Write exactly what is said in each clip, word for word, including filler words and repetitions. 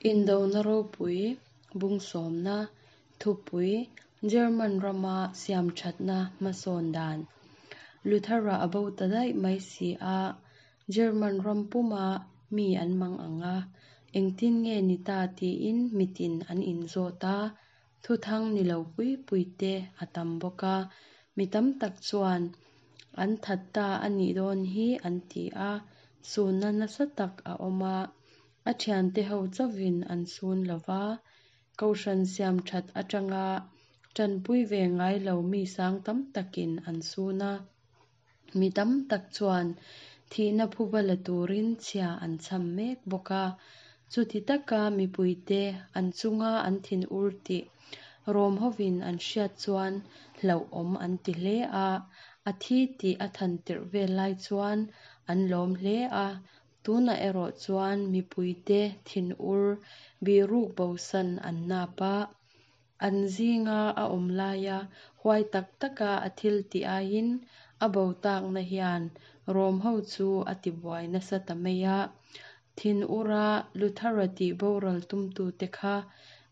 Indona ropui bung sawmna thupui German rama siamthatna hmasawn dan Luthera a bo ta daih mai si a, German ram puma mi an mang ang a, engtin nge ni ta tiin mitin an inzawt a, thuthang ni lo pui pui te a tam bawk a, mi tam tak chuan an that ta a nih dawn hi an ti a, sunna nasa tak a awm a, a thiante ho chauhin an sun lova, kohhran siam that atanga tanpui ve ngai lo mi sang tam takin an sun a, mi tam tak chuan thihna phuba la turin chhia an cham mek bawk a, chuti taka mipuite an chunga an thin ur tih Rom hovin an hriat chuan hlauhawm an ti hle a, a thi tih a than tirh vel lai chuan an lawm hle a, tunah erawh chuan mipuite thin ur biruk bosan an nap a, an zinga a awm laia huai tak taka a thil tih aiin a bo takna hian Rom ho chu a tibuai nasa ta mai a, thin ura Luthera tih boral tumtute kha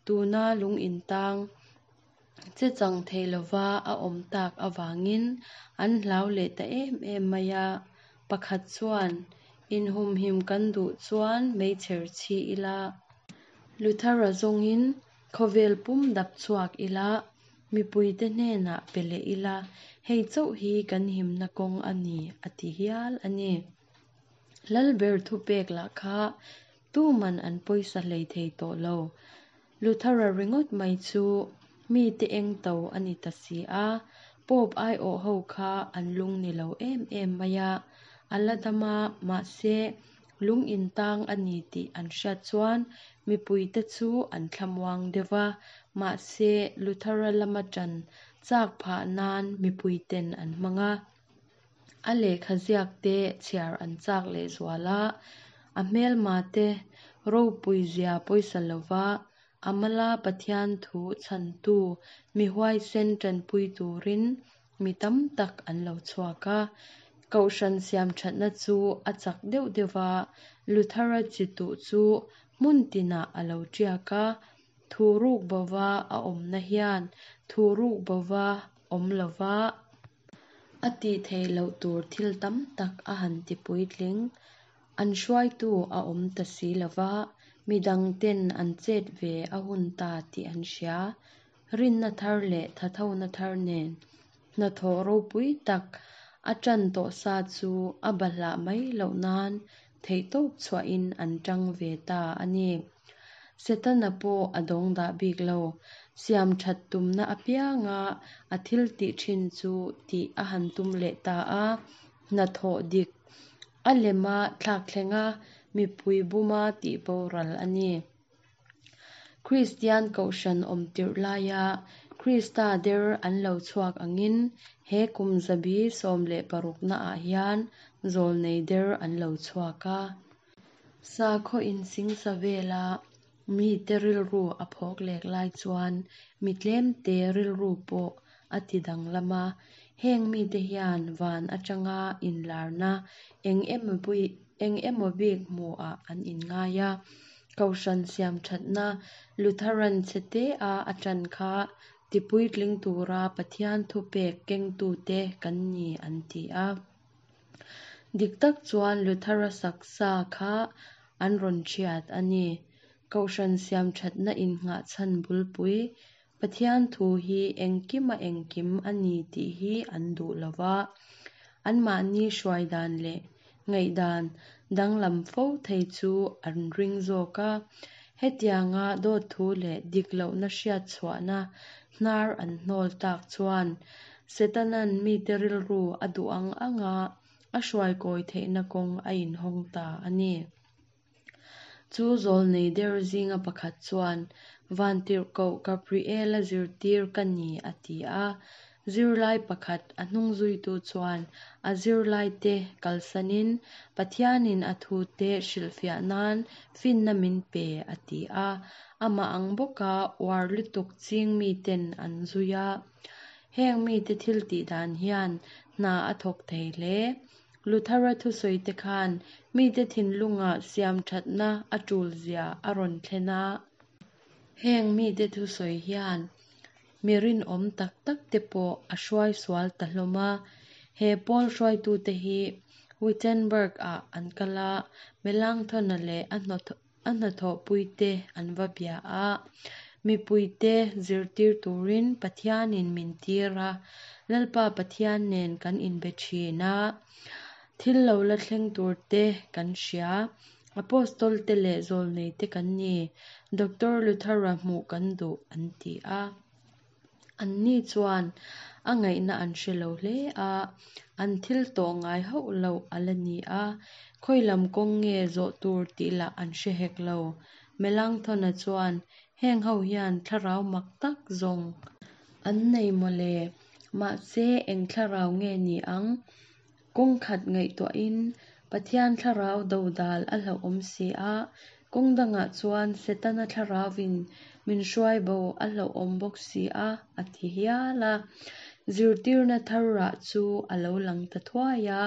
tuna lung intang che chang thei lova a awm tak awangin an hlau leh ta em em mai a, pakhat chuan inhumhim kan duh chuan meichher chhi ila Luthera zawngin khawvel pum dap chhuak ila mipuite hnenah pe leh ila hei chauh hi kan himna kawng a ni a ti hial a ni. Lalber thupek lah kha tuman an pawisa hlei thei tawh lo. Luthera ringawt mai chu mi te eng to a ni ta si a, Pope aiawh ho kha an lung ni lo em em mai a, a la dam a mahse lung intang a ni tih an hriat chuan mipuite chu an thlamuang deuh va, mahse Luthera lama ṭan chak phah nan mipuiten an hmang a, a lehkha ziak te chhiar an chak lehzual a, a hmelma te ropui zia pawisa lova a mala Pathian thu chhantu mi huaisen ṭanpui turin mi tam tak an lo chhuak a, kohhran siam thatna chu a chak deuh deuh va, Luthera chi tuh chu hmun tinah a lo ṭiak a, thu ruk bova a awmna hian thu ruk bova awm lova a tih theih loh tur thil tam tak a han ti puitling. An hruaitu a awm ta si lova, midang ten an chet ve a hun ta tih an hria. Rinna thar leh thathona thar nen hnathawh ropui tak a ṭan tawh sa chu a bahlah mai loh nan theihtawp chhuahin an ṭang ve ta a ni. Setana pawh a dawng dah bik lo, siam that tumna apianga a thil tih ṭhin chu tih a han tum leh ta a, hnathawh dik a lema thlak thlenga mipui buma tih boral a ni. Kristian kohhran awm tirh laia Krista der an lo chhuak angin he kum zabi sawm leh parukna ah hian zawlnei der an lo chhuak a. Sakhaw insingsa vela mite rilru a phawk lek lai chuan mi tlemte rilru pawh a ti danglam a, heng mite hian van atanga inlarna eng emaw pui eng emaw bik hmuah an inngai a, kohhran siam thatna Lutheran chhe a a ṭan kha tipuitling tura Pathian thupek kengtute kan ni an ti a. Dik tak chuan Luthera saksa kha an rawn ṭhiat a ni. Kohhran siam thatna innghah chhan bulpui Pathian thu hi engkima engkim a ni tih hi an duh lova, anmahni hruai dan leh ngaihdan danglam fo thei chu an ring zawk a, hetianga dawt thu leh dik lohna hriat chhuahna hnar an hnawl tak chuan Setanan mite rilru a duh ang anga a hruai kawi theihna kawng a inhawng ta a ni. Chu zawlnei der zinga pakhat chuan Vantirhkoh Gabriela zirtir ka ni a ti a, zirlai pakhat a hnung zuitu chuan a zirlaite kalsanin Pathianin a thute hrilhfiah nan finna min pe a ti a, amah ang bawka uar lutuk ching miten an zui a. Heng mite thil tih dan hian hna a thawk thei hle. Luthera thusawite khan mite thinlungah siamthatna a tulzia a rawn thlen a. Heng mite thusawi hian mi rinawm tak tak te pawh a hruai sual ta hlawm a. He pawl hruaitute hi Wittenberg-ah an kal a, Melanchthon-a leh a hnathawhpuite an va bia a. Mipuite zirtir turin Pathianin min tir a, Lalpa Pathian nen kan inbe thin a. Thil lo la thleng turte kan hria. Apostol te leh zawlneite kan ni. Doctor Luthera hmuh kan duh an ti a. Anni chuan a ngaihna an hre lo hle a, an thil tawh ngai hauh lo a la ni a, khawi lam kawng nge zawh tur tih lah an hre hek lo. Melanchthon-a chuan heng ho hian thlarau mak tak zawng an nei mawle, mahse eng thlarau nge ni ang? Kawng khat ngaihtuahin Pathian thlarau dodal a hlauhawm si a, kawng dangah chuan Setana thlarauvin min hruai bo a hlauhawm bawk si a, a ti hial a. Zirtirna thar rah chu a lo lang ta thuai a.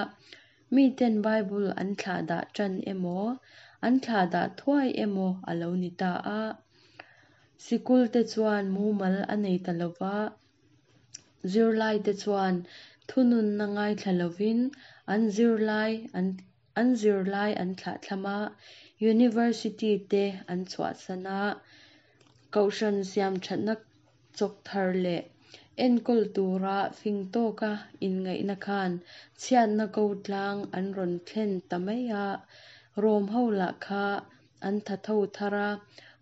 Miten Bible an thlahdah tan emaw, an thlahdah thuai emaw a lo ni ta a. Sikul te chuan mumal a nei ta lova, zirlai te chuan thununna ngaithla lovin an zirlai an an zirlai an thlahthlam a, university te an chhuahsan a, kohhran siamthatna chawk thar leh enkawl tura fing tawka inngaihna khan chhiatna ko tlang an rawn thlen ta mai a. Rom ho lah kha an thatho thar a,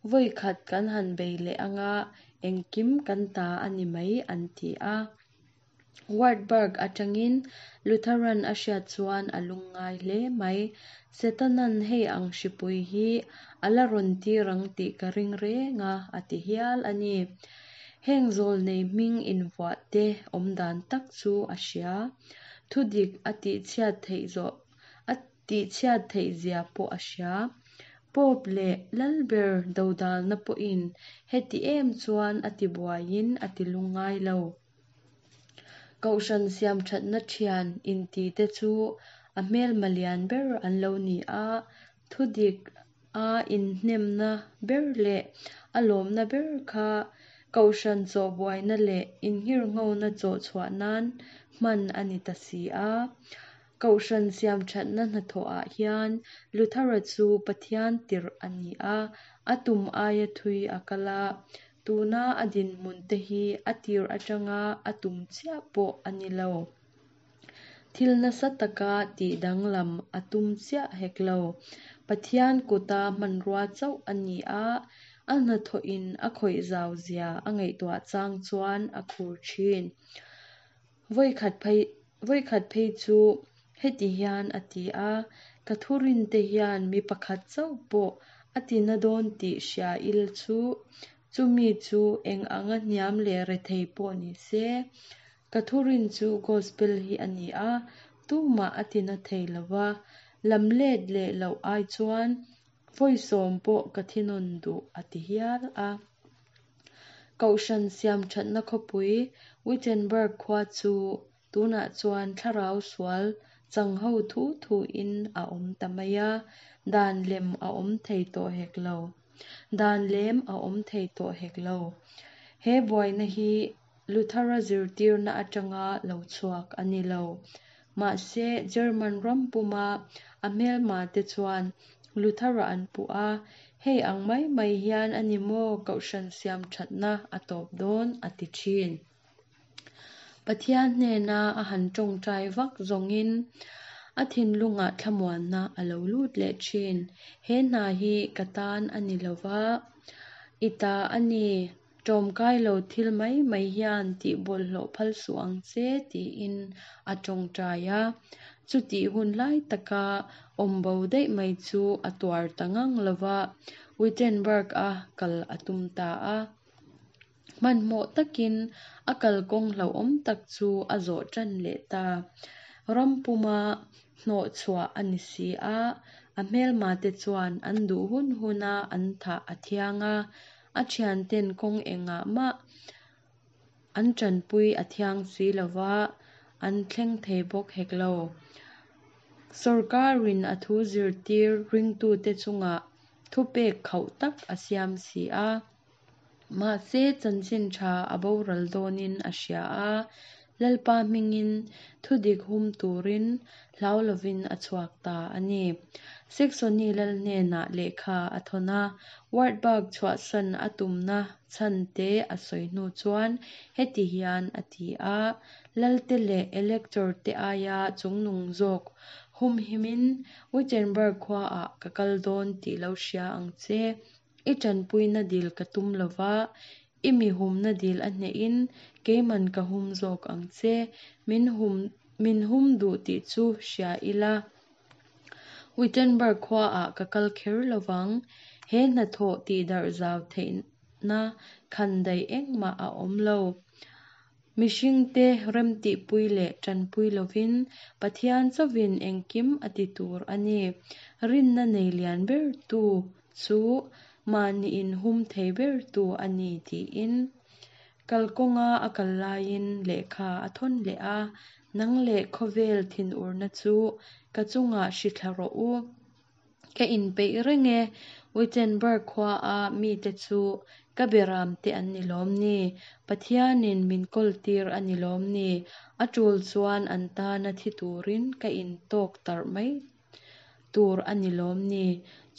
vawi khat kan han bei leh anga engkim kan ta a ni mai an ti a. Wartburg atangin Lutheran a hriat chuan a lungngai hle mai. Setanan hei ang hripui hi a la rawn tir ang tih ka ring reng a, a ti hial a ni. Heng zawlnei hming invuah te awm dan tak chu a hria. Thudik a tihchhiat theih zawh a tihchhiat theih zia pawh a hria. Pope leh Lalber dodalna pawhin heti em chuan a tibuaiin a tilungngai lo. Kohhran siamthatna thian inti te chu a hmelma lian ber an lo ni a, thudik a inhnemna ber leh a lawmna ber kha kohhran chawhbuaina leh innghirnghona chawh chhuah nan hman a ni ta si a. Kohhran siamthatna hnathawhah hian Luthera chu Pathian tirh a ni a, a tum aia thui a kal a. Tuna a dinhmun te hi a tir atanga a tum chiah pawh a ni lo. Thil nasa taka tihdanglam a tum chiah hek lo. Pathian kuta hmanrua chauh a ni a, a hnathawhin a khawih zau zia a ngaihtuah chang chuan a khur thin. Vawi khat phei vawi khat phei chu heti hian a ti a, ka thurin te hian mi pakhat chauh pawh a tina dawn tih hria ila chu, chumi chu eng anga hniam leh rethei pawh ni se. Ka thurin chu gospel hi a ni a, tumah a tina thei lova, lam let leh loh ai chuan vawi sawm pawh ka thinawn duh a ti hial a. Kohhran siamthatna khawpui Wittenberg khua chu tunah chuan thlarau sual chang ho thu thuin a awm ta mai a, dan lem a awm thei tawh hek lo. Dan lem a awm thei tawh hek lo. He buaina hi Luthera zirtirna atanga lo chhuak a ni lo. Mahse German ram puma a hmelma te chuan Luthera an puh a, hei ang mai mai hian a ni maw kohhran siamthatna a tawp dawn a ti thin. Pathian hnena a han tawngtai vak zawngin a thinlungah thlamuanna a lo lut leh thin. He hna hi ka tan a ni lova, i ta a ni, tawmkai lo thil mai mai hian tih bawlhhlawh phal suh ang che tiin a tawngtai a. Chutih hun lai taka awm bo daih mai chu a tuar ta ngang lova, Wittenberg a kal a tum ta a. Hmanhmawh takin a kalkawng hlauhawm tak chu a zawh tan leh ta. Ram puma hnawh chhuah a ni si a, a hmelma te chuan an duh hun huna an thah a thiang a, a thianten kawng engah mah an tanpui a thiang si lova, an thleng thei bawk hek lo. Sawrkarin a thu zirtir ringtute chungah thupek khauh tak a siam si a. Mahse chanchin tha a boral dawnin a hria a, Lalpa hmingin thudik hum turin hlau lovin a chhuak ta a ni. Saxony lal hnenah lehkha a thawn a, Wartburg chhuahsan a tumna chhan te a sawi hnu chuan heti hian a ti a, Lalte leh Elector te aia chungnung zawk humhimin Wittenberg khuaah ka kal dawn tih lo hria ang che. I tanpuina dil ka tum lova, i mi humna dil a hnehin keiman ka hum zawk ang che. Min hum min hum duh tih chu hria ila. Wittenberg khuaah ka kal kher lovang. He hnathawh tihdarh zau theihna khandaih engmah a awm lo. Mihringte remtihpui leh tanpui lovin Pathian chauhin engkim a ti tur a ni. Rinna nei lian ber tu chu mahni in hum thei ber tu a ni tiin. Kalkawnga a kal laiin lehkha a thawn leh a, nang leh khawvel thinurna chu ka chungah hrithla rawh u. Ka inpeih reng e, Wittenberg khuaa mite chu ka beram te an ni lawm ni. Pathianin min kawltir a ni lawm ni. A tul chuan an tana thi turin ka intawk tarh mai tur a ni lawm ni.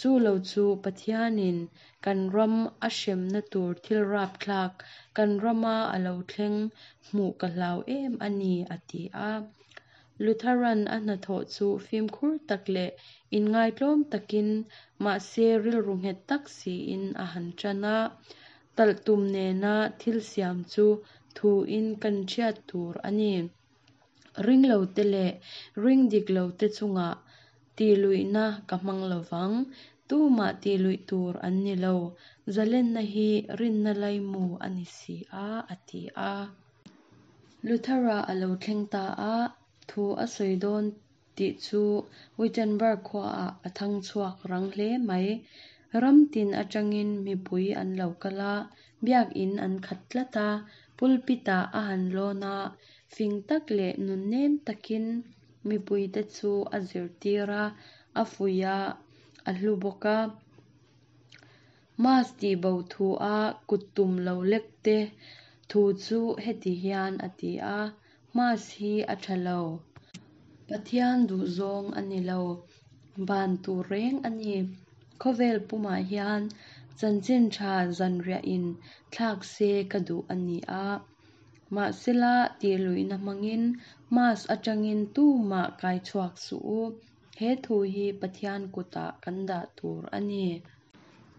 Chu lo chu Pathianin kan ram a hremna tur thil rapthlak kan rama a lo thleng hmuh ka hlau em a ni, a ti a. Lutheran a hnathawh chu fimkhur tak leh inngaitlawm takin mahse rilru nghet tak siin a han tan a. Talhtum nena thil siam chu thuin kan thiat tur a ni. Ring lo te leh ring dik lo te chungah tihluihna ka hmang lovang. Tumah tihluih tur an ni lo. Zalenna hi rinna laimu a ni si a, a ti a. Luthera a lo thleng ta a, thu a sawi dawn tih chu Wittenberg khuaah a thang chhuak rang hle mai. Ram tin atangin mipui an lo kal a, biak in an khat tlat a, pulpitah a han lawn a, fing tak leh nunnem takin mipuite chu a zirtir a, a fuih a, a hlu bawk a. Mas tihbo thu a kuttum lo lek te thu chu heti hian a ti a, Mas hi a tha lo. Pathian duh zawng a ni lo. Ban tur reng a ni. Khawvel pumah hian chanchin tha zanriahin thlak se ka duh a ni a. Mahsela tihluihna hmangin mas atangin tumah kai chhuak suh u. He thu hi Pathian kutah kan dah tur a ni.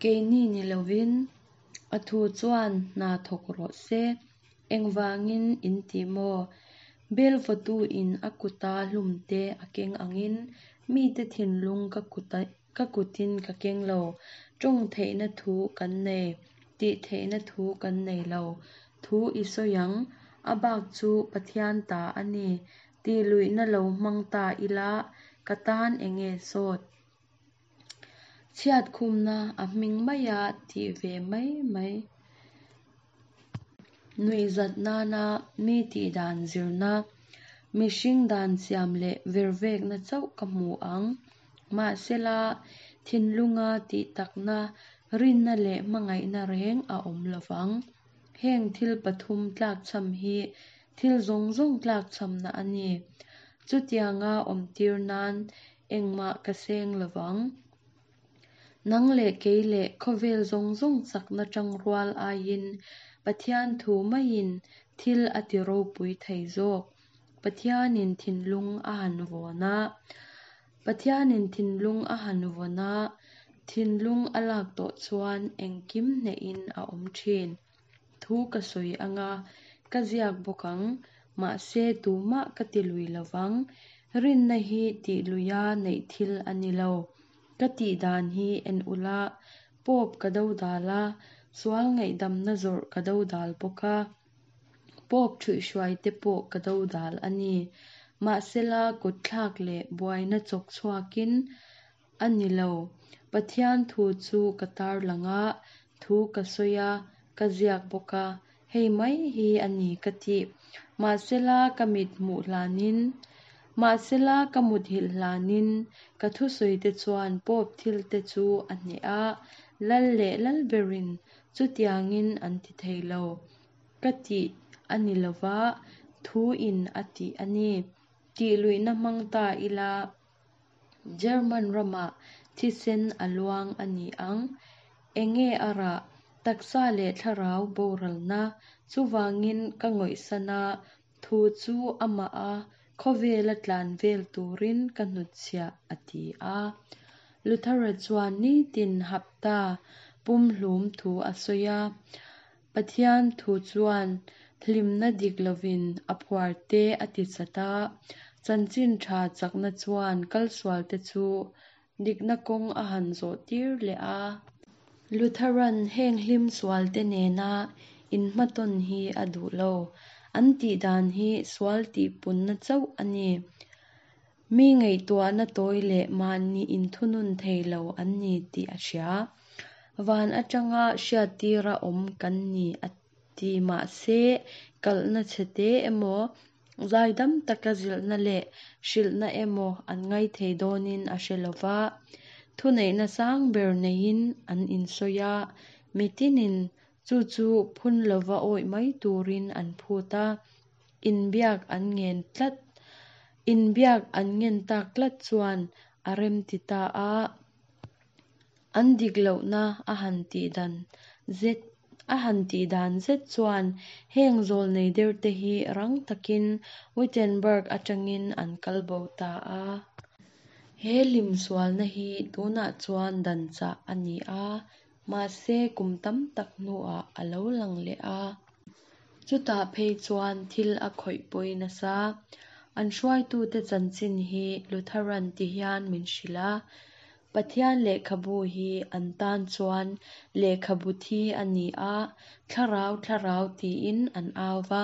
Keini ni lovin a thu chuan hna thawk rawh se. Engvangin in ti maw? Bel vawtu in a kuta hlum te a keng angin mite thinlung ka kuta ka kutin ka keng lo. Tawng theihna thu kan nei, tih theihna thu kan nei lo. Thu i sawi ang, a bak chu Pathian ta a ni. Tihluihna lo hmang ta ila ka tan enge sawt. Chhiat khumna a hming maia tih ve mai mai. Nuihzat nana mi tihdan zirna, mihring dan siam leh vervekna chauh ka hmu ang. Mahsela thinlunga tih takna, rinna leh hmangaihna reng a awm lovang. Heng thil pathum tlakchham hi thil zawng zawng tlakchhamna a ni. Chutianga awm tir nan engmah ka seng lovang. Nang leh kei leh khawvel zawng zawng chakna tangrual aiin Pathian thu maiin thil a ti ropui thei zawk. Pathianin thinlung a han vawn a. Pathianin thinlung a han vawn a, thinlung a lak tawh chuan engkim hnehin a awm thin. Thu ka sawi anga, ka ziak bawk ang, mahse tumah ka ti lui lovang. Rinna hi tihluia neih thil a ni lo. Ka tihdan hi en ula, Pope ka dodal a, sual ngaihdamna zawrh ka dodal bawk a. Pope thuihhruai te pawh ka dodal a ni. Mahsela kutthlak leh buaina chawk chhuakin a ni lo. Pathian thu chu ka tarlang a, thu ka sawi a, ka ziak bawk a. Hei mai hi a ni ka ti. Mahsela ka mit hmuh hlanin Mahsela ka muthilh hlanin ka thusawite chuan Pope thilte chu a hneh a, lal leh lalberin chutiangin an ti thei lo. Ka tih a ni lo va, thuin a tih a ni. Tihluihna hmang ta ila, German ramah thisen a luang a ni ang. Enge a rah? Taksa leh thlarau boralna. Chuvangin ka ngawihsan a, thu chu amah a khawvela tlan vel turin ka hnutchhiah, a ti a. Luthera chuan nitin hapta pumhlum thu a sawi a. Pathian thu chuan hlimna dik lovin a phuarte a tichat a. Chanchin tha chakna chuan kalsualte chu dikna kawng a han zawh tir leh a. Lutheran heng hlim sualte nena inhmatawn hi a duh lo. An tih dan hi sual tihpunna chauh a ni. Mi ngaihtuahna tawi leh mahni inthunun thei lo an ni tih a hria. Van atanga hriattira awm kan ni a ti mahse kalhna chhete emaw, zaidam taka zilhna leh hrilhna emaw an ngai thei dawnin a hre lo va. Thuneihna sang ber neiin an insawi a, mitinin chu chu phun lova awih mai turin an phut a. Inbiak an ngen tlat inbiak an ngen tak tlat chuan a rem ti ta a. An dik lohna a han tih dan zet a han tih dan zet chuan heng zawlnei derte hi rang takin Wittenberg atangin an kal bo ta a. He hlim sualna hi tunah chuan dan chah a ni a, mahse kum tam tak hnuah a lo lang leh a. Chutah phei chuan thil a khawih pawi nasa. An hruaitute chanchin hi Lutheran ti hian min hrilh a. Pathian lehkhabu hi an tan chuan lehkhabu thi a ni a, thlarau thlarau tiin an au va.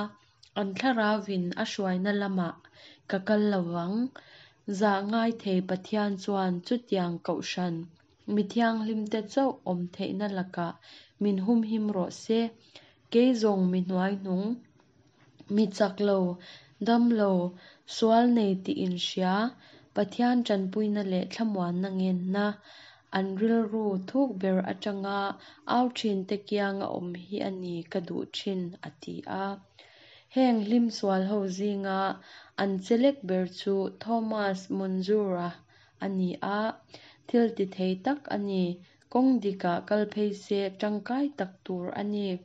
An thlaravin a hruaina lamah ka kal lovang. Zah ngai thei Pathian chuan chutiang kohhran mi thianghlimte chauh awm theihna lakah min humhim rawh se. Kei zawng mi hnuaihnung, mi chak lo, dam lo, sual nei tih inhria, Pathian tanpuina leh thlamuanna ngenna, an rilru thuk ber atanga au thinte kianga awm hi a ni ka duh thin, a ti a. Heng hlim sual ho zinga an chelek ber chu Thomas Munzura a ni a. Thil ti thei tak a ni. Kawng dikah kal phei se tangkai tak tur a ni.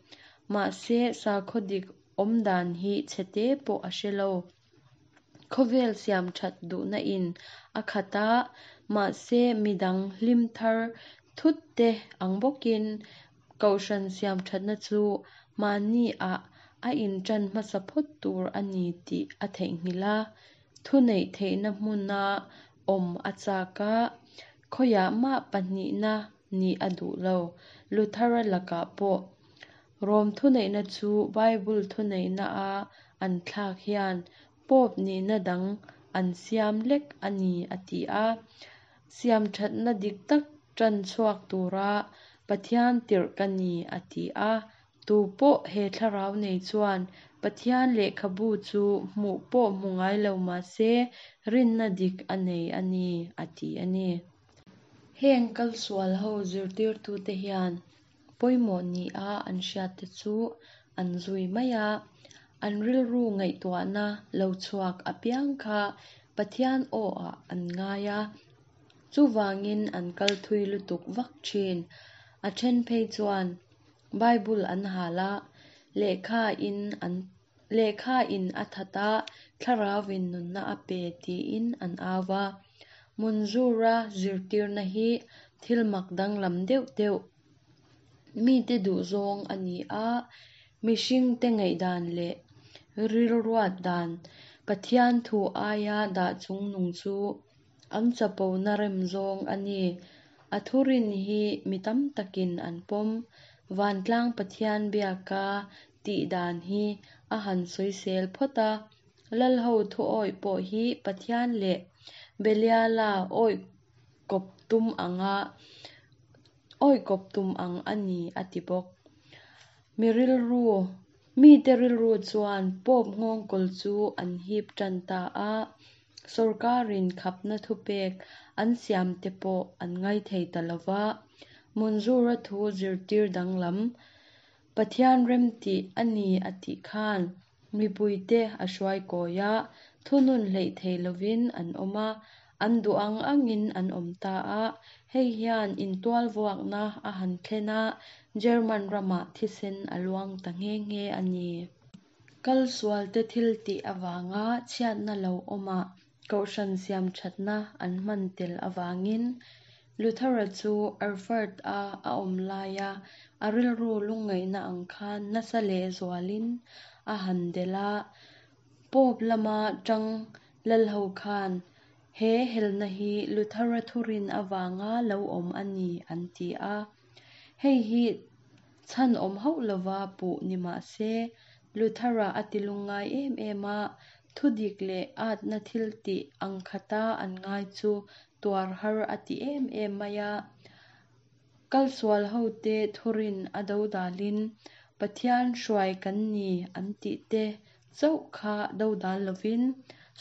Mahse sakhaw dik awm dan hi chhete pawh a hre lo. Khawvel siam that duhna in a khat a, mahse midang hlim thar thut te ang bawkin kohhran siam thatna chu mahni ah a intan hmasa phawt tur a ni tih a theihnghilh a. Thuneih theihna hmuna awm a chak a, khawiah mah pahnihna ni a duh lo. Luthera lakah pawh Rom thuneihna chu Bible thuneihna a an thlak hian Pope nihna dang an siam lek a ni a ti a. Siam thatna dik tak tan chhuak tura Pathian tirh ka ni a ti a. Tu pawh he thlarau nei chuan Pathian lehkhabu chu hmuh pawh hmu ngai lo mahse rinna dik a nei a ni a ti a ni. Heng kal sual ho zirtirtute hian pawimawh ni a an hriatte chu an zui mai a. An rilru ngaihtuahna lo chhuak apiang kha Pathian aw ah an ngai a. Chuvangin an kal thui lutuk vak thin. A then phei chuan Bible an hal a, lehkha in an lehkha in a that a, thlaravin nunna a pe tiin an au va. Munzura zirtirna hi thil mak danglam deuh deuh mite duh zawng a ni a, mihringte ngaihdan leh rilruat dan Pathian thu aia dah chungnung chu an chapona rem zawng a ni. A thurin hi mi tam takin an pawm. Vantlang Pathian biaka tih dan hi a han sawisel phawt a. Lal ho thu awih pawh hi Pathian leh Beliala awih kawp tum anga awih kawp tum ang a ni a ti bawk. Mi rilru mite rilru chuan Pope nghawngkawl chu an hip tan ta a. Sawrkarin khapna thupek an siamte pawh an ngaithei ta lo va. Munzura thu zirtir danglam, Pathian remtih a ni a tih khan mipuite a hruai kawi a, thunun hleih thei lovin an awm a, an duh ang angin an awm ta a. Hei hian intualvuakna a han thlen a, German ramah thisen a luang ta nghe nghe a ni. Kal sualte thil tih avanga chhiatna lo awmah kohhran siam thatna an hman tel avangin Luthera chu Erfurt-a a awm laia a rilru lungngaihna ang khan nasa lehzualin a han delh a. Pope lama tang lalho khan he helna hi Luthera thurin avanga lo awm a ni an ti a. Hei hi chhan awm hauh lova puh ni mah se Luthera a ti lungngai em em a, thudik leh atna thil tih ang khata an ngai chu tuar har a ti em em mai a. Kalsual hote thurin a dodalin Pathian hruai kan ni an tih te chauh kha dodal lovin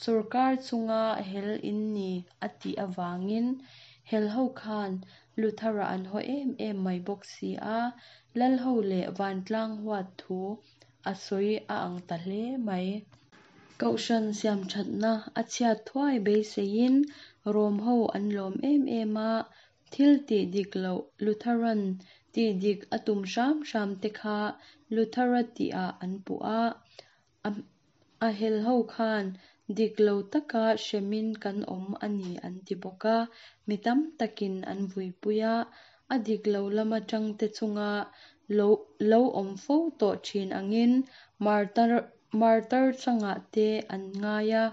sawrkar chunga hel in ni a tih avangin hel ho khan Luthera an haw em em mai bawk si a, lalho leh vantlang huat thu a sawi a ang ta hle mai. Kohhran siam thatna a chhiat thuai beiseiin Rom ho an lawm em em a, thil tih dik loh Lutheran tih dik a tum hram hram te kha Luthera tihah an puh a, a hel ho khan dik lo taka hremin kan awm a ni an ti bawk a, mi tam takin an vuipui a, a dik lo lama tangte chunga lo lo awm fo tawh thin angin martar martar changah te an ngai a,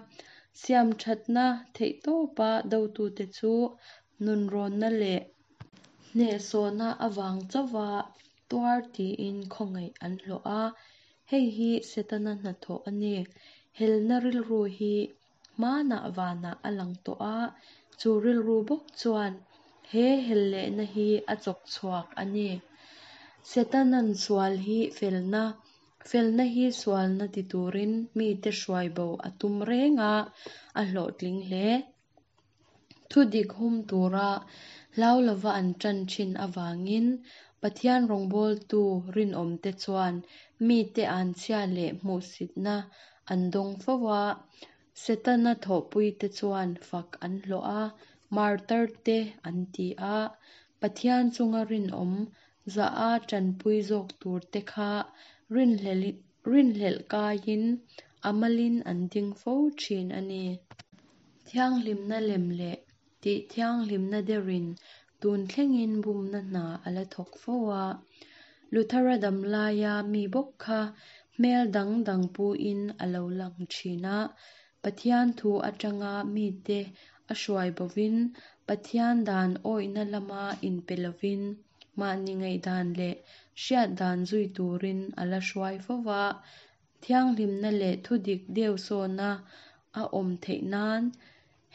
siam thatna theihtawpa dotute chu nunrawnna leh hnehsawhna avang chauha tuar tiin khawngaih an hlawh a. Hei hi Setana hnathawh a ni. Helna rilru hi hmanah vanah a lang tawh a, chu rilru bawk chuan he hel lehna hi a chawk chhuak a ni. Setanan sual hi felna, felna hi sualna ti turin mite hruai bo a tum reng a, a hlawhtling hle. Thudik hum tura hlau lova an tan thin avangin Pathian rawngbawltu rinawmte chuan mite an chhia leh hmuhsitna an dawng fo a, Setana thawhpuite chuan fak an hlawh a, martar te an ti a, Pathian chunga rinawm za a tanpui zawk tur te kha rinhlelh kaiin a malin an ding fo thin a ni. Thianghlimna lem leh tih thianghlimna derin tun thlengin bumna hna a la thawk fo a. Luthera dam laia mi bawk kha hmel dang dang puin a lo lang thin a, Pathian thu atanga mite a hruai bovin Pathian dan awihna lama inpe lovin mahni ngaihdan leh hriat dan zui turin a la hruai fo va. Thianghlimna leh thudik deusawna a awm theih nan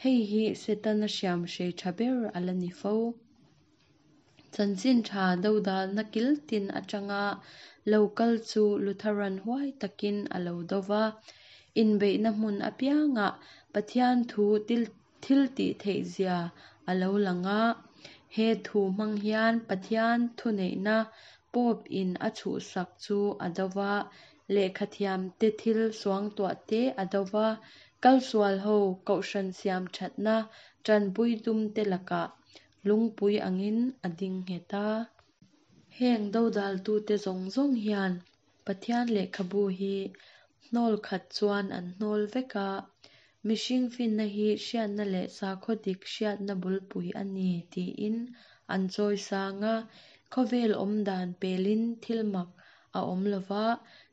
hei hi Setana hriam hrei tha ber a la ni fo. Chanchin tha dodalna kiltin atanga lo kal chu Lutheran huai takin a lo do va, inbeihna hmun apiangah Pathian thu thil tih theih zia a lo lang a. He thu hmang hian Pathian thuneihna Pope in a chhuhsak chu a do va, lehkhathiam te thil suangtuah te a do va, kalsual ho kohhran siam thatna tanpui tum te lakah lungpui angin a ding nghet a. Heng dodaltute zawng zawng hian Pathian lehkhabu hi hnawl khat chuan an hnawl vek a, mihring finna hi hriatna leh sakhaw dik hriatna bulpui a ni tiin an chawi sang a, khawvel awm dan pelin thil mak a awm lova,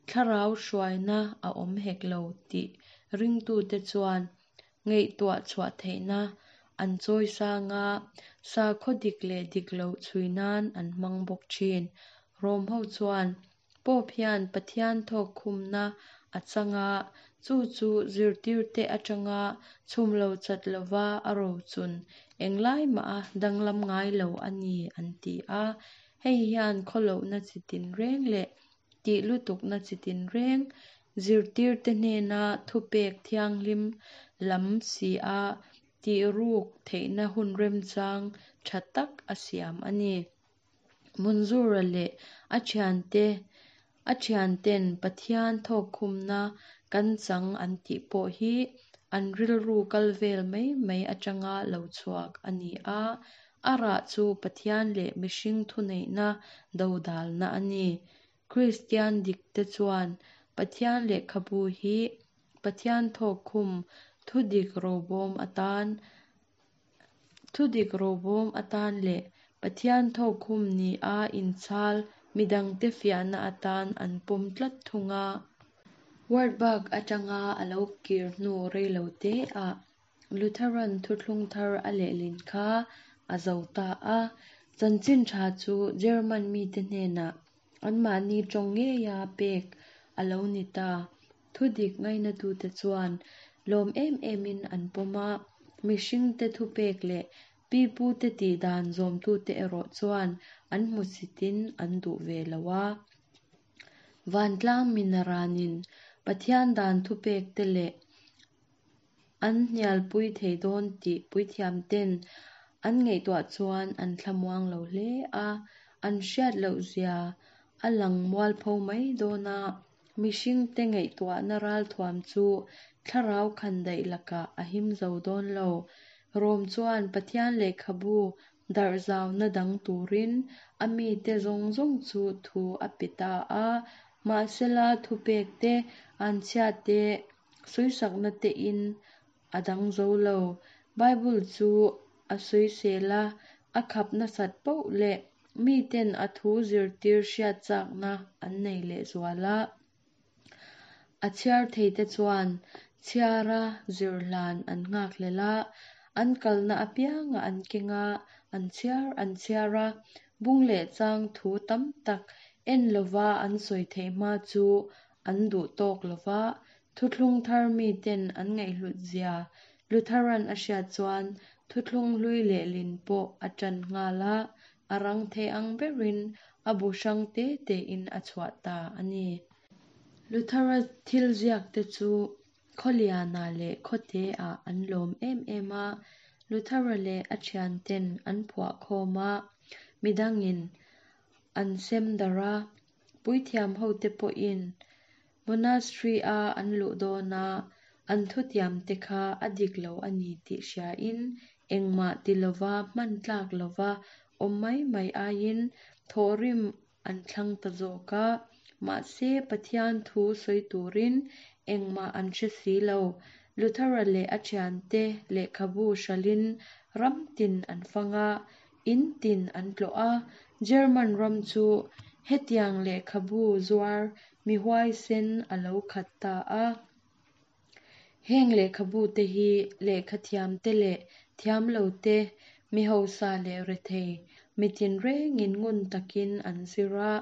thlarau hruaina a awm hek lo tih ringtute chuan ngaihtuah chhuah theihna an chawi sang a, sakhaw dik leh dik lo chhui nan an hmang bawk thin. Rom ho chuan Pope hian Pathian thawk khumna a chang a, chu chu zirtirte atanga chhum lo chat lova a rochun englai mah a danglam ngai lo a ni an ti a. Hei hian khawlohna chitin reng leh tih lutukna chitin reng zirtirte hnena thupek thianghlim lam si a tih ruk theihna hun remchang tha tak a siam a ni. Munzura leh a thiante a thianten Pathian thawkkhumna kan chang an tih pawh hi an rilru kal vel mai mai atanga lo chhuak a ni a, a rah chu Pathian leh mihring thuneihna dodalna a ni. Kristian dikte chuan Pathian lehkhabu hi Pathian thawkkhum thudik robawm atan thudik robawm atan leh Pathian thawkkhum ni a inchhal midangte fiahna atan an pawm tlat thung a. Wartburg atanga a lo kir hnu reiloteah Lutheran thuthlung thar a lehlin kha a zo ta a. Chanchin tha chu German mite hnenah anmahni tawng ngeia pek a lo ni ta. Thudik ngainatute chuan lawm em emin an pawm a, mihringte thupek leh pipute tih dan zawmtute erawh chuan an hmusitin an duh ve lo a. Vantlang minaranin Pathian dan thupekte leh an hnialpui thei dawn tih puithiamten an ngaihtuah chuan an thlamuang lo hle a, an hriat loh zia a lang mualpho mai dawn a. Mihringte ngaihtuahna ralthuam chu thlarau khandaih lakah a him zo dawn lo. Rom chuan Pathian lehkhabu darh zauna dang turin a mite zawng zawng chu thu a pe ta a, mahsela thupekte an chhiate sawisakna te in a dang zo lo. Bible chu a sawisel a, a khap nasat poh leh miten a thu zirtir hriat chakna an nei leh zual a. A chhiar theite chuan chhiara zirhlan an nghak hlel a, an kalna apianga an keng a, an chhiar an chhiar a, bung leh chang thu tam tak en lova an sawi theih hma chu an duh tawk lova, thuthlung thar miten an ngaihhlut zia Lutheran a hriat chuan thuthlung hlui lehlin pawh a ṭan nghal a, a rang thei ang berin a bu hrang te tein a chhuah ta a ni. Luthera thil ziakte chu khawliana leh khawteah an lawm em em a, Luthera leh a thianten an phuah khawm a, midangin an sem darh a, puithiam hote pawhin monastery a an luh dawn a, an thutiamte kha a dik lo a ni tih hriain engmah ti lova hman tlak lova awm mai mai aiin thawhrim an thlang ta zawk a, mahse Pathian thu sawi turin engmah an hre si lo. Luthera leh a thiante lehkhabu hralhin ram tin an fang a, in tin an tlawh a, German ram chu hetiang lehkhabu zuar mi huaisen a lo khat ta a. Heng lehkhabu te hi lehkhathiamte leh thiamlote, mi hausa leh rethei, mitin rengin ngun takin an zir a,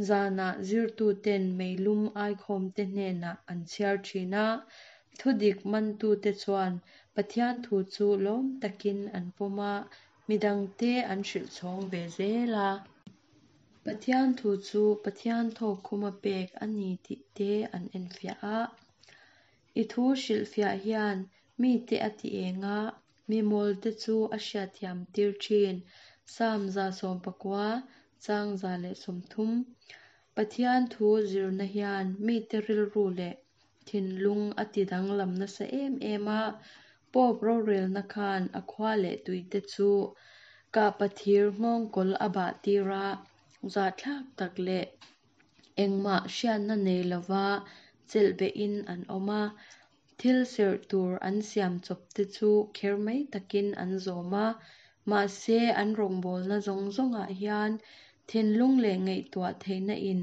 zanah zirtuten meilum aikhawmte hnenah an chhiar thin a, thudik mantute chuan Pathian thu chu lawm takin an pawm a, midangte an hrilh chhawng ve zel a. Pathian thu chu Pathian thawkkhuma pek a ni tih te an enfiah a. I thu hrilhfiah hian mite a ti eng a, mi mawlte chu a hriatthiam tir thin. Sam za sawm pakua, chang za leh sawmthum. Pathian thu zirna hian mite rilru leh thinlung a ti danglam nasa em em a, Pope rorelna khan a khua leh tuite chu kahpathir nghawngkawl a bah tir a, zahthlak tak leh engmah hriatna nei lova chelhbehin an awm a, thil serh tur an siam chawpte chu kher mai takin an zawm a, mahse an rawngbawlna zawng zawngah hian thinlung leh ngaihtuah theihna in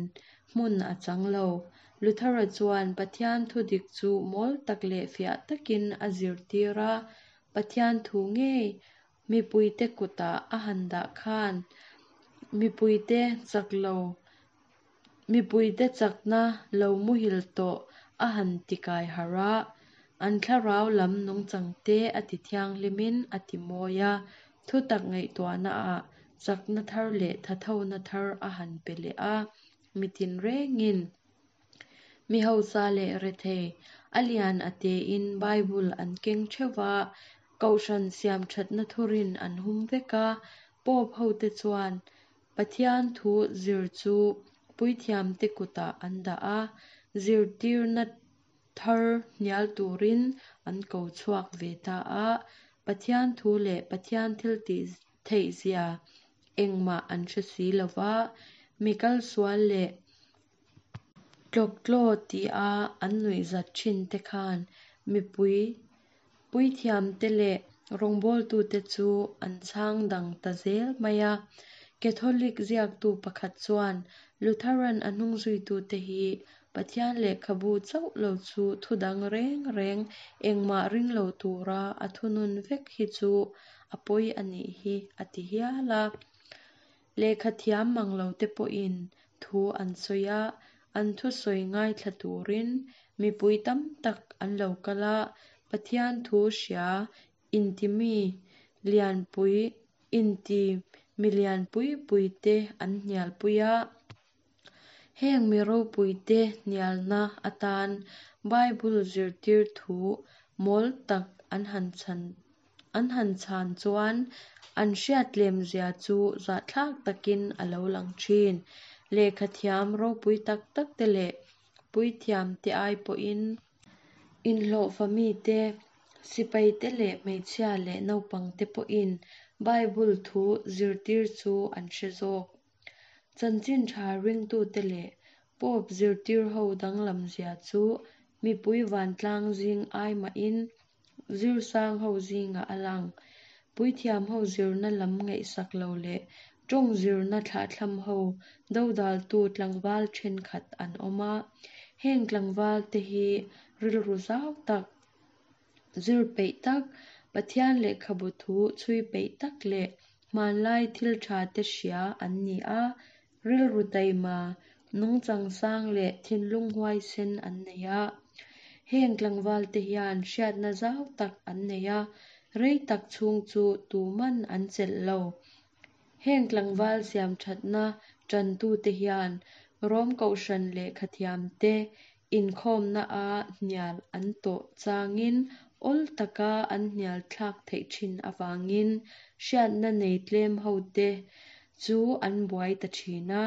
hmun a chang lo. Luthera chuan Pathian thudik chu mawl tak leh fiah takin a zirtir a, Pathian thu ngei mipuite kutah a han dah khan mipuite chak lo mipuite chakna lo muhil tawh a han tikai harh a, an thlarau lam nungchangte a ti thianghlimin a ti mawi a, thutak ngaihtuahna ah chakna thar leh thathona thar a han pe leh a, mitin rengin Mi hausa leh rethei, a lian a tein Bible an keng theuh va, Kohhran siam thatna thurin an hum vek a. Pope hote chuan Pathian thu zir chu puithiamte kutah an dah a, zirtirna thar hnial turin an ko chhuak ve ta a. Pathian thu leh Pathian thil tih theihzia engmah an hre si lo va, mi kal sual leh tlawktlaw tia an nuihzat thin te khan mipui puithiamte leh rawngbawltute chu an chhang dang ta zel mai a. Catholic ziaktu pakhat chuan Lutheran a hnungzuitute hi Pathian lehkhabu chauh lo chu thu dang reng reng engmah ring lo tura a thunun vek hi chu a pawi a nih hi a ti hial a. Lehkha thiam mang lo te pawhin thu an sawi a, an thu sawi ngaithla turin mipui tam tak an lo kal a. Pathian thu hria intimi lianpui inti milian pui pui te an hnialpui a. Heng mi ropuite hnialna atan Bible zirtir thu mawl tak an han chhan an han chhan chuan an hriat tlemzia chu zahthlak takin a lo lang thin. Lehkha thiam ropui tak tak te leh puithiam te ai pawhin inhlawhfa mi te, sipai te leh hmeichhia leh naupang te pawhin Bible thu zirtir chu an hre zawk. Chanchin tha ringtute leh Pope zirtir ho danglam zia chu mipui vantlang zing ai mahin zirsang ho zingah a lang. Puithiam ho zirna lam ngaihsak lo leh tawng zirna thlahthlam ho dodaltu tlangval thenkhat an awm a. Heng tlangval te hi rilru zau tak, zir peih tak, Pathian lehkhabu thu chhui peih tak leh hmanlai thil tha te hria an ni a. Rilru taima, nungchang sang leh thinlung huaisen an nei a. Heng tlangval te hian hriatna zau tak an nei a, rei tak chhung chu tuman an chelh lo. Heng tlangval siam thatna tantu te hian Rom Kohhran lehkha thiam te inkhawmna a hnial an tawh changin awl taka an hnial thlak theih thin avangin hriatna nei tlem ho te chu an buai ta thin a,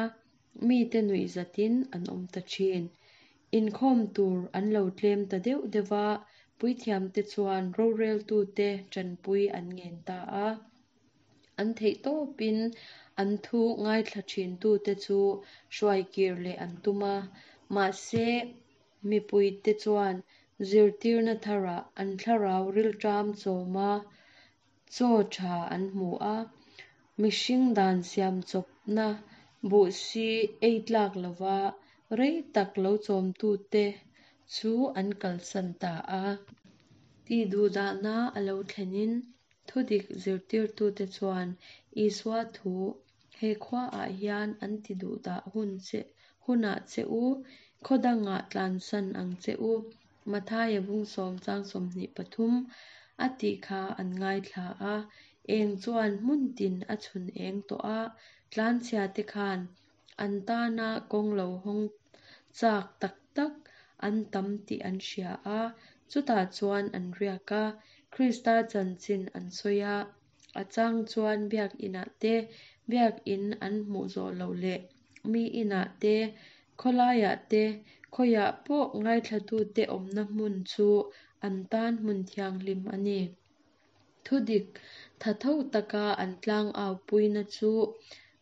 mite nuihzatin an awm ta thin. Inkhawm tur an lo tlem ta deuh deuh va, puithiam te chuan roreltute tanpui an ngen ta a. An theih tawpin an thu ngaithla thin tute chu hruai kir leh an tum a. Mahse, mipuite chuan zirtirna tharah an thlarau rilṭam chawma chaw tha an hmu a. Mihring dan siam chawpna buhsi ei tlak lova rei tak lo chawmtute chu an kalsan ta a. Tihduhdahna a lo thlenin thudik zirtirtute chuan Isua thu he khuaah hian an tiduhdah hun che hunah che u, khaw dangah tlansan ang che u, Mathaia bung sawm chang sawmhnih pathum a tih kha an ngaithla a. Eng chuan hmun tin a chhun eng tawh a, tlanchhia te khan an tana kawng lo hawng chak tak tak an tam tih an hria a. Chutah chuan an riak a, Krista chanchin an sawi a. A chang chuan biak inah te, biak in an hmuh zawh loh leh mi inah te, khawlaiah te, khawiah pawh ngaithlatute awmna hmun chu an tan hmun thianghlim a ni. Thudik thatho taka an tlang au puina chu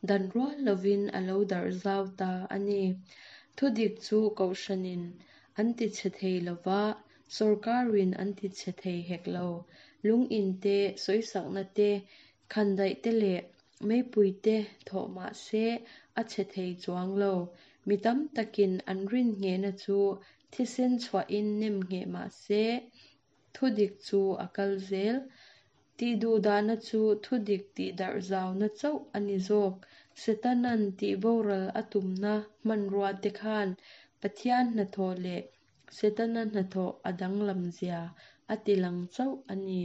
dan rual lovin a lo darh zau ta a ni. Thudik chu Kohhranin an tichhe thei lova, sawrkarin an tichhe thei hek lo. Lung in te, sawisakna te, khandaih te leh meipui te thawh mahse a chhe thei chuang lo. Mi tam takin an rin nghehna chu thisen chhuahin nem ngheh mahse thudik chu a kal zel. Tihduhdahna chu thudik tihdarh zauna chauh a ni zawk. Setanan tihboral a tumna hmanrua te khan Pathian hnathawh leh Setana hnathawh a danglam zia a tilang chauh a ni.